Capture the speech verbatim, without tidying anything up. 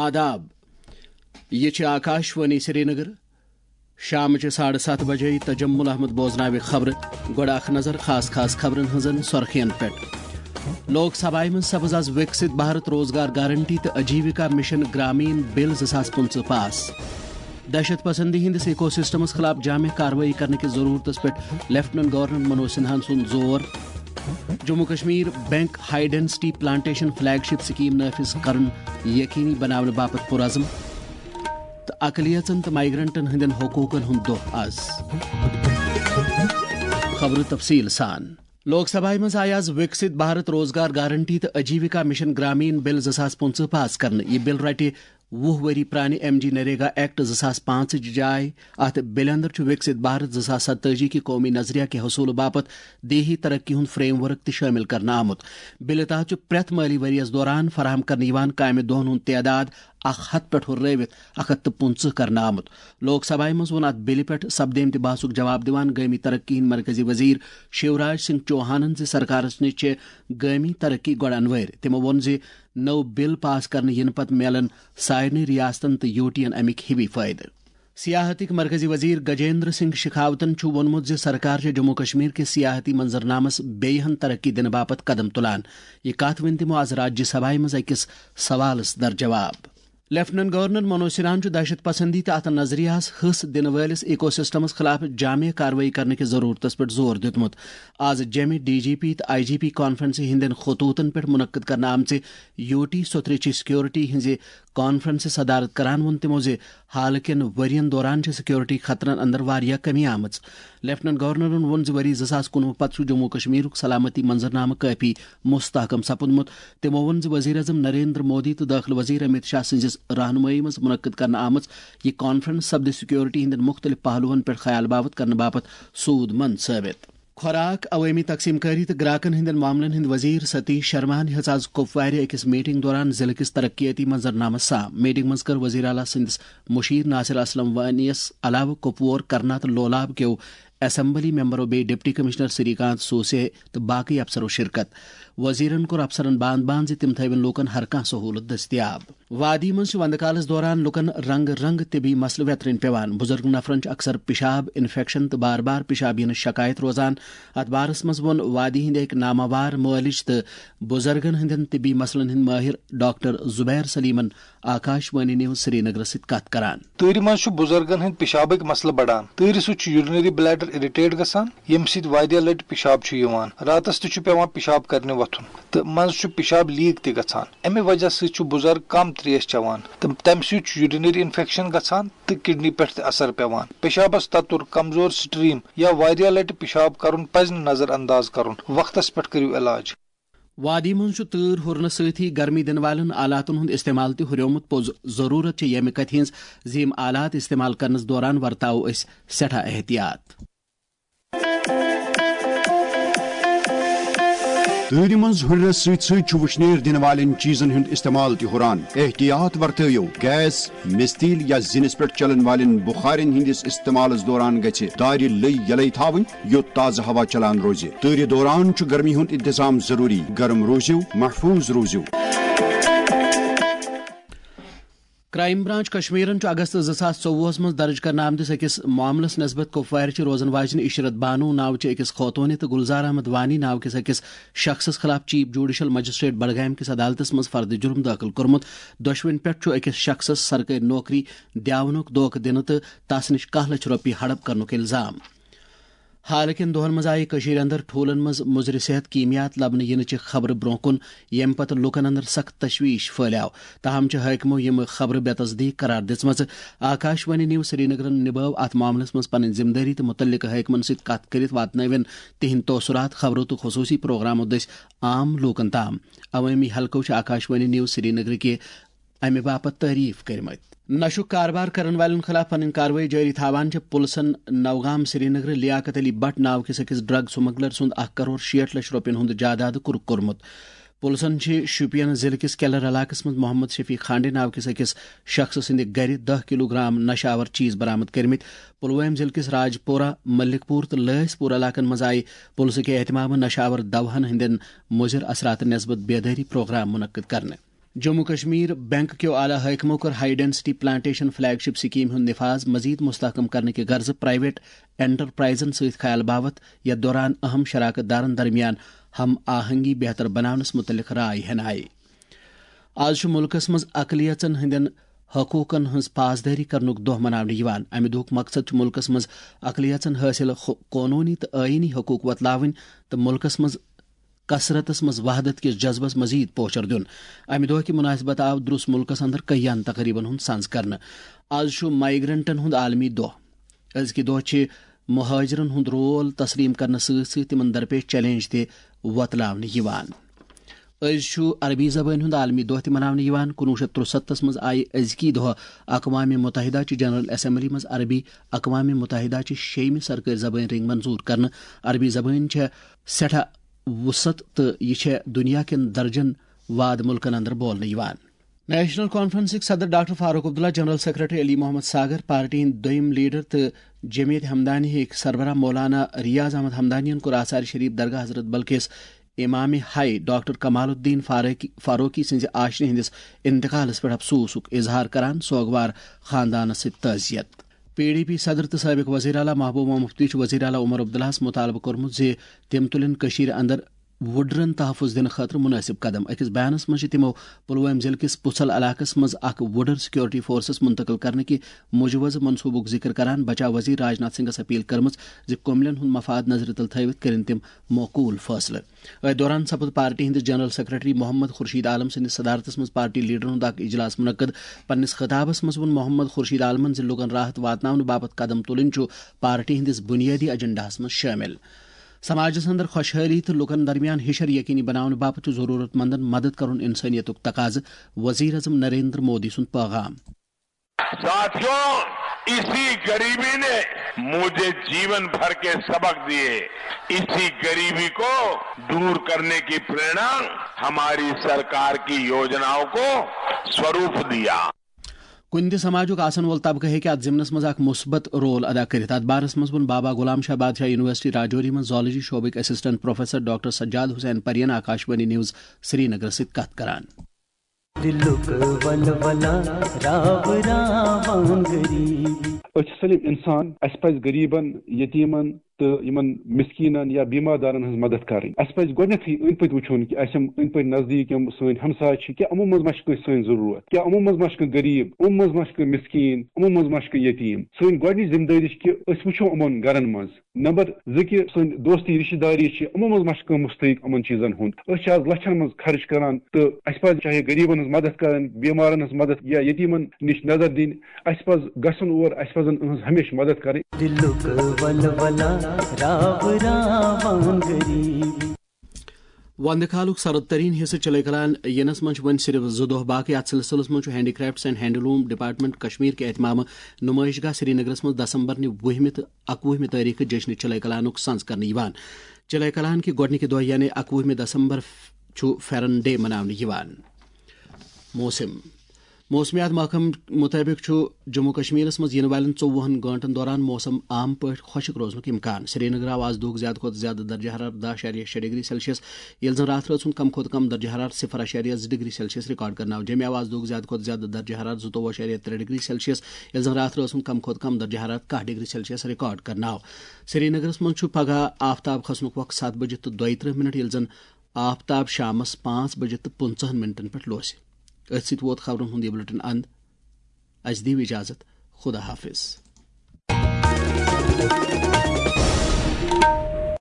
آداب۔ یہِ چھِ آکاشوانی سرینگر۔ شامچہِ ساڑٕ ستھ بجے تجمل احمد بوزناوِ خبرٕ۔ گۄڈٕ اکھ نظر خاص خاص خبرن ہٕنٛزن سۄرخین پٮ۪ٹھ۔ لوک سبھایہ منٛز سپٕز از وِکسِت بھارت روزگار گارنٹی تہٕ آجیوکا مشن گرامین بل زٕ ساس پٕنٛژٕہ پاس۔ دہشت پسندی ہٕنٛدِس ایکو سسٹمس خلاف جامع کاروٲیی کرنہٕ کِس ضروٗرتس پٮ۪ٹھ لیفٹیننٹ گورنر منوج سنہاہن سُنٛد زور۔ Jammu Kashmir bank high density plantation flagship scheme نافذ کرُن یقینی بناونہٕ باپتھ پُرعزم۔ تہٕ اقلیژن تہٕ مائیگرنٹن ہٕنٛدٮ۪ن حقوٗقن ہُنٛد دۄہ از۔ خبرٕ تفصیٖل سان۔ لوک سبھایہ منٛز آیہِ از وِکسِت بھارت روزگار گارنٹی تہٕ آجیوکا مشن گرامین بل زٕ ساس پٕنٛژٕہ پاس کرنہٕ۔ یہِ بل رٹہِ وُہ ؤری پرانہِ ایم جی نریگا ایکٹ زٕ ساس پانٛژٕچ جاے۔ اتھ بلہِ اندر چھُ وِکسِت بھارت زٕ ساس ستٲجی کہِ قومی نظریہ کہِ حصوٗلہٕ باپتھ دیہی ترقی ہُنٛد فریم ورک تہِ شٲمِل کرنہٕ آمُت۔ بلہِ تحت چھُ پرٛٮ۪تھ مٲلی ؤرۍ یَس دوران فراہم کرنہٕ یِوان کامہِ دۄہَن ہُنٛد تعداد اکھ ہتھ پٮ۪ٹھ ہُررٲوِتھ اکھ ہتھ تہٕ پٕنٛژٕہ کرنہٕ آمُت۔ لوک سبھایہ منٛز ووٚن اتھ بلہِ پٮ۪ٹھ سپدیمتہِ بحثُک جواب دِوان گٲمی ترقی ہٕنٛدۍ مرکزی وزیر شیوراج سنگھ چوہانن زِ سرکارس نِش چھِ گٲمی ترقی گۄڈٕ انوٲرۍ۔ تِمو ووٚن زِ نٔو بل پاس کرنہٕ یِنہٕ پتہٕ میلن سارنٕے ریاستن تہٕ یوٗٹین امِکۍ ہِوی فٲیدٕ۔ سیاحتٕکۍ مرکزی وزیر گجیندر سنگھ شیخاوتن چھُ ووٚنمُت زِ سرکار چھےٚ جموں کشمیر کِس سیاحتی منظرنامس بیٚیہِ ہن ترقی دِنہٕ باپتھ قدم تُلان۔ یہِ کتھ ؤنۍ تِمو از راجیہ سبھایہ منٛز أکِس سوالس در جواب۔ لیفٹیننٹ گورنر منوج سنہاہن چھُ دہشت پسندی تہٕ اتھ نظریہس ہٕس دِنہٕ وٲلِس ایکو سسٹمس خلاف جامع کاروٲیی کرنہٕ کِس ضروٗرتس پٮ۪ٹھ زور دیُتمُت۔ از جیمہِ ڈی جی پی تہٕ آئی جی پی کانفرنسہِ ہٕنٛدٮ۪ن خطوٗطن پٮ۪ٹھ منعقد کرنہٕ آمژِ یوٗٹی سوتھرٕچہِ سیکیورٹی ہٕنٛزِ کانفرنسہِ صدارت کران ووٚن تِمو زِ حال کٮ۪ن ؤرین دوران چھِ سیکیورٹی خطرن اندر واریاہ کمی آمٕژ۔ لیفٹیننٹ گورنرن ووٚن زِ ؤری زٕ ساس کُنوُہ پتہٕ چھُ جموں کشمیرُک سلامتی منظرنامہٕ کٲفی مستحکم سپُدمُت۔ تِمو ووٚن زِ وزیر اعظم نریندر مودی تہٕ دٲخلہٕ وزیر امت شاہ سٕنٛزِس رہنمٲیی منٛز منعقد کرنہٕ آمٕژ یہِ کانفرنس سپدِ سیکیورٹی ہٕنٛدٮ۪ن مُختٔلِف پہلوَن پٮ۪ٹھ خیال باپتھ کرنہٕ باپتھ سود مند ثٲبت۔ خوراک، عوٲمی تقسیم کٲری تہٕ گراکن ہٕنٛدٮ۪ن معاملن ہٕنٛدۍ وزیر ستیش شرماہن ہیٚژ از کپوارِ أکِس میٹنگ دوران ضلعہٕ کِس ترقیتی منظرنامس سام۔ میٹنگ منٛز کٔر وزیر اعلیٰ سٕنٛدِس مُشیر ناصر اسلم وانیَس علاوٕ کپوور، کرنا تہٕ لولاب کیو اسمبلی ممبرو بیٚیہِ ڈپٹی کمشنر سری کانت سوسے تہٕ باقٕے افسرو شرکت۔ وزیرن کوٚر افسرن باند باند زِ تِم تھٲوِن لوٗکن ہر کانٛہہ سہوٗلت دٔستیاب۔ وادی منٛز چھِ وندٕ کالس دوران لوٗکن رنگہٕ رنگہٕ طبی مسلہٕ ویترٕنۍ پیوان۔ بُزرگ نفرن چھُ اکثر پِشاب انفیکشن تہٕ بار بار پِشاب یِنٕچ شکایت روزان۔ اتھ بارس منٛز ووٚن وادی ہٕنٛدِ أکۍ ناماوار مٲلِج تہٕ بُزرگن ہٕنٛدٮ۪ن طبی مسلن ہٕنٛدۍ مٲہِر ڈاکٹر زبیر سلیمن آکاش وانی نیوز سرینگرس سۭتۍ کتھ کران۔ تۭرِ منٛز چھُ بُزرگن ہٕنٛدۍ پِشابٕکۍ مسلہٕ بڑان۔ تۭرِ سۭتۍ چھُ یورینری بلیڈر اریٹیٹ گژھان، ییٚمہِ سۭتۍ واریاہ لٹہِ پِشاب چھُ یِوان۔ راتس تہِ چھُ پٮ۪وان پِشاب کرنہِ وۄتھُن تہٕ منٛزٕ چھُ پِشاب لیٖک تہِ گژھان۔ امہِ وجہ سۭتۍ چھُ بُزرگ کم تریش چٮ۪وان تہٕ تمہِ سۭتۍ چھُ یورینری انفیکشن گژھان تہٕ کڈنی پٮ۪ٹھ تہِ اثر پٮ۪وان۔ پِشابس تتُر، کمزور سٹریم یا واریاہ لٹہِ پِشاب کرُن پزِ نہٕ نظر انداز کرُن۔ وقتس پٮ۪ٹھ کٔرِو علاج۔ وادی منٛز چھُ تۭر ہُرنہٕ سۭتی گرمی دِنہٕ والٮ۪ن آلاتن ہُنٛد استعمال تہِ ہُریومُت۔ پوٚز ضروٗرت چھِ ییٚمہِ کتھِ ہٕنٛز زِ یِم آلات استعمال کرنس دوران ورتاوو أسۍ سٮ۪ٹھاہ احتیاط۔ تۭرِ منٛز ہُرنس سۭتۍ سۭتۍ چھُ وُشنیر دِنہٕ والٮ۪ن چیٖزن ہُنٛد استعمال تہِ ہُران۔ احتیاط ورتٲیِو۔ گیس، مِستیٖل یا زِنِس پٮ۪ٹھ چلن والٮ۪ن بُخارٮ۪ن ہٕنٛدِس استعمالس دوران گژھِ دارِ لٔے یلے تھاوٕنۍ، یوٚت تازٕ ہوا چلان روزِ۔ تۭرِ دوران چھُ گرمی ہُنٛد انتظام ضروٗری۔ گرم روٗزِو، محفوٗظ روٗزِو۔ کرائم برانچ کشمیرن چھُ اگست زٕ ساس ژوٚوُہس منٛز درج کرنہٕ آمتِس أکِس معاملس نسبت کپوارِ چھِ روزن واجنہِ عشرت بانو ناوچہِ أکِس خوتوٗنہِ تہٕ گلزار احمد وانی ناو کِس أکِس شخصس خلاف چیف جوڈیشل مجسٹریٹ بڈگامہِ کِس عدالتس منٛز فرد جرم دٲخل کوٚرمُت۔ دۄشوٕنۍ پٮ۪ٹھ چھُ أکِس شخصس سرکٲرۍ نوکری دیاونُک دھوکہٕ دِنہٕ تہٕ تس نِش کاہ لچھ رۄپیہِ ہڑپ کرنُک الزام۔ حالٕکٮ۪ن دۄہَن منٛز آیہِ کٔشیٖرِ اندر ٹھوٗلَن منٛز مُضرِ صحت کیٖمیات لبنہٕ یِنہٕ چہِ خبرٕ برٛونٛہہ کُن، ییٚمہِ پتہٕ لوٗکَن اندر سخت تشویش پھٔہلیو۔ تاہم چھِ حٲکمو یِم خبرٕ بے تصدیق قرار دِژمَژٕ۔ آکاش وانی نیوز سرینگرَن نِبٲو اَتھ معاملَس منٛز پنٕنۍ ذمہٕ دٲری تہٕ مُتعلقہٕ حٲکمَن سۭتۍ کَتھ کٔرِتھ واتنٲوِن تِہنٛدۍ تٲثرات خبرو تہٕ خصوٗصی پروگرامو دٔسۍ عام لوٗکَن تام۔ عوٲمی حلقو چھِ آکاش وانی نیوز سرینگرٕکہِ اَمہِ باپتھ تعریف کٔرمٕتۍ۔ نشُک کاربار کرن والٮ۪ن خلاف پنٕنۍ کاروٲیی جٲری تھاوان چھِ پُلسن نوگام سرینگرٕ لیاقت علی بٹ ناو کِس أکِس ڈرگ سمگلر سُنٛد اکھ کرور شیٹھ لچھ رۄپین ہُنٛد جاداد کُرک کوٚرمُت۔ پُلسن چھِ شوپین ضلعہٕ کِس کیلر علاقس منٛز محمد شفیع کھانڈے ناو کِس أکِس شخصہٕ سٕنٛدِ گرِ دَہ کلوٗ گرام نشہٕ آور چیٖز برآمد کٔرمٕتۍ۔ پلوامہ ضلعہٕ کِس راجپورہ، ملک پور تہٕ لٲسۍ پور علاقن منٛز آیہِ پُلسہٕ کہِ اہتمامہٕ نشہٕ آور دوہن ہٕنٛدٮ۪ن مُضر اثراتن نسبت بیدٲری پروگرام منعقد کرنہٕ۔ جموں کشمیر بینک کیو اعلیٰ حٲکمو کٔر high density plantation flagship scheme ہُنٛد نفاذ مزید مستحکم کرنہٕ کہِ غرضہٕ پرائیویٹ انٹرپرائزن سۭتۍ خیال باوتھ، یتھ دوران اہم شراکت دارن درمیان ہم آہنگی بہتر بناونس متعلق رائے ہینہٕ آیہِ۔ آز چھُ مُلکس منٛز اقلیژن ہٕنٛدٮ۪ن حقوٗقن ہٕنٛز پاسدٲری کرنُک دۄہ مناونہٕ یِوان۔ امہِ دۄہُک مقصد چھُ مُلکس منٛز اقلیژن حٲصِل خو-، قونوٗنی تہٕ ٲیٖنی حقوٗق وۄتلاوٕنۍ تہٕ مُلکس منٛز کثرتس منٛز وحدت کِس جذبس مزید پوچھر دیُن۔ امہِ دۄہ کہِ مناسبت آو درُس مُلکس اندر کٔہیاہن تقریبن ہُنٛد سنز کرنہٕ۔ آز چھُ مائیگرنٹن ہُنٛد عالمی دۄہ۔ أزکہِ دۄہ چھِ مہاجرن ہُنٛد رول تسلیم کرنہٕ سۭتۍ سۭتۍ تِمن درپیش چیلنج تہِ وۄتلاونہٕ یِوان۔ أزۍ چھُ عربی زبٲنۍ ہُنٛد عالمی دۄہ تہِ مناونہٕ یِوان۔ کُنوُہ شیٚتھ ترُسَتتھس منٛز آیہِ أزکی دۄہ اقوام متحدہ چہِ جنرل اسمبلی منٛز عربی اقوام متحدہ چہِ شیٚیِمہِ سرکٲرۍ زبٲنۍ رنٛگۍ منظوٗر کرنہٕ۔ عربی زبٲنۍ چھےٚ سٮ۪ٹھاہ وُسعت تہٕ یہِ چھےٚ دُنیا کٮ۪ن درجن واد مُلکن اندر بولنہٕ یِوان۔ نیشنل کانفرنسٕکۍ صدر doctor Farooq Abdullah, general secretary Ali Mohammad Sagar, party ہٕنٛدۍ دوٚیِم لیڈر تہٕ جمعیت ہمدانی ہٕکۍ سربراہ مولانا ریاض احمد ہمدانین کوٚر آثار شریف درگاہ حضرت بلقیس امام ہائی ڈاکٹر کمال الدین فاروقی، فاروقی سٕنٛزِ آشنہِ ہٕنٛدِس انتقالس پٮ۪ٹھ افسوسُک اظہار کران سوگوار خاندانس سۭتۍ تعزیت۔ پی ڈی پی صدر تہٕ سٲبق وزیر اعلیٰ محبوبہ مفتی چھُ وزیر اعلیٰ عمر عبداللہس مطالبہٕ کوٚرمُت زِ تِم تُلِن کٔشیٖرِ اندر وُڈرن تحفظ دِنہٕ خٲطرٕ مُنٲسِب قدم۔ أکِس بیانس منٛز چھِ تِمو پلوٲمۍ ضلعہٕ کِس پُژھل علاقس منٛز اکھ وُڈر سیکورٹی فورسز منتقل کرنہٕ کہِ مجوزٕ منصوبُک ذکر کران بچاو وزیر راجناتھ سنگھس اپیل کٔرمٕژ زِ کُملٮ۪ن ہُنٛد مفاد نظرِ تل تھٲوِتھ کٔرِن تِم معقول فٲصلہٕ۔ أتھۍ دوران سپُد پارٹی ہٕنٛدِس جنرل سیکرٹری محمد خورشید عالم سٕنٛدِس صدارتس منٛز پارٹی لیڈرن ہُنٛد اکھ اجلاس منعقد۔ پننِس خطابس منٛز ووٚن محمد خورشید عالمن زِ لوٗکن راحت واتناونہٕ باپتھ قدم تُلٕنۍ چھُ پارٹی ہٕنٛدِس بُنیٲدی ایجنڈاہس منٛز شٲمِل۔ سماجس اندر خۄشحٲلی تہٕ لوٗکن درمیان ہِشر یقینی بناونہٕ باپتھ چھُ ضروٗرت مندن مدد کرُن انسٲنیتُک تقاضہٕ، وزیر اعظم نریندر مودی سُنٛد پیغام۔ साथियों, इसी गरीबी ने मुझे जीवन भर के सबक दिए। इसी गरीबी को दूर करने की प्रेरणा हमारी सरकार की योजनाओं को स्वरूप दिया। کُنہِ تہِ سماجُک آسن وول طبقہٕ ہیٚکہِ اتھ ضمنس منٛز اکھ مثبت رول ادا کٔرِتھ۔ اتھ بارس منٛز ووٚن بابا غلام شاہ بادشاہ یونیورسٹی راجوری منٛز زالجی شعبٕکۍ assistant professor doctor Sajad Hussain پرین آکاشوانی نیوز سرینگرس سۭتۍ کتھ کران۔ دِلُک ولولہ راو راوان غریٖب۔ أسۍ چھِ سٲلِم اِنسان، اَسہِ پَزِ غریٖبَن، یتیٖمَن تہٕ یِمَن مِسکیٖنَن یا بیمار دارَن ہٕنٛز مدد کَرٕنۍ۔ اَسہِ پَزِ گۄڈٕنیتھٕے أنٛدۍ پٔتۍ وٕچھُن کہِ اَسہِ یِم أنٛدۍ پٔتۍ نزدیٖک یِم سٲنۍ ہمساے چھِ، کیٛاہ یِمو منٛز ما چھِ کٲنٛسہِ سٲنۍ ضروٗرت، کیٛاہ یِمو منٛز ما چھِ کانٛہہ غریٖب، یِمو منٛز ما چھِ کانٛہہ مِسکیٖن، یِمو منٛز ما چھِ کانٛہہ یتیٖم۔ سٲنۍ گۄڈٕنِچ ذمہٕ دٲری چھِ کہِ أسۍ وٕچھو یِمَن گرَن منٛز۔ نمبر زٕ کہِ سٲنۍ دوستی رشتہٕ داری چھِ، یِمو منٛز ما چھُ کانٛہہ مستحق یِمن چیٖزن ہُنٛد۔ أسۍ چھِ آز لچھن منٛز خرٕچ کران تہٕ اَسہِ پزِ چاہے غریٖبن ہٕنٛز مدد کرٕنۍ، بیمارن ہٕنٛز مدد یا یتیٖمن نِش نظر دِنۍ، اَسہِ پزِ گژھُن اور، اَسہِ پزن یِہٕنٛز ہمیشہِ مدد کرٕنۍ۔ دِلُک ولولہ راو راوان غریٖب۔ وندٕ کالُک سرد ترین حصہٕ چلے کلان ینس منٛز چھِ وۄنۍ صرف زٕ دۄہ باقٕے۔ اتھ سلسلس منٛز چھُ handy crafts and handloom department Kashmir کہِ اہتمامہٕ نمائش گاہ سرینگرس منٛز دسمبر نہِ وُہمہِ تہٕ اکوُہمہِ تٲریخہٕ جشنِ چلے کلانُک سنز کرنہٕ یِوان۔ چلے کلان کہِ گۄڈٕنِکہِ دۄہ یعنی اکوُہمہِ دسمبر چھُ فیرن ڈے مناونہٕ یِوان۔ موسم۔ موسمیات محکمہٕ مُطٲبِق چھُ جموں کشمیرس منٛز یِنہٕ والٮ۪ن ژوٚوُہن گٲنٛٹن دوران موسم عام پٲٹھۍ خۄشک روزنُک امکان۔ سرینگر آو آز دۄہُک زیادٕ کھۄتہٕ زیادٕ درجہ حرارت دَہ اَشاریہ شےٚ ڈگری سیلسیس، ییٚلہِ زن راتھ رٲژ ہُنٛد کم کھۄتہٕ کم درجہ حرارت صفر اَشاریہ زٕ ڈگری سیلسیس ریکارڈ کرنہٕ آو۔ جمعہ آو آز دۄہُک زیادٕ کھۄتہٕ زیادٕ درجہ حرارت زٕتووُہ اَشاریہ ترٛےٚ ڈگری سیلسیس، ییٚلہِ زن راتھ رٲژ ہُنٛد کم کھۄتہٕ کم درجہ حرارت کاہ ڈگری سیلسیس ریکارڈ کرنہٕ آو۔ سرینگرس منٛز چھُ پگہہ آفتاب کھسنُک وقت ستھ بجہِ تہٕ دۄیہِ ترٕٛہ منٹ، ییٚلہِ زن آفتاب شامس پانٛژھ بجہِ تہٕ پٕنٛژٕہن منٹن پٮ۪ٹھ لوسہِ۔ أتھۍ سۭتۍ ووت خبرن ہُنٛد یہِ بلیٹن اند۔ اسہِ دِیِو اجازت۔ خدا حافظ۔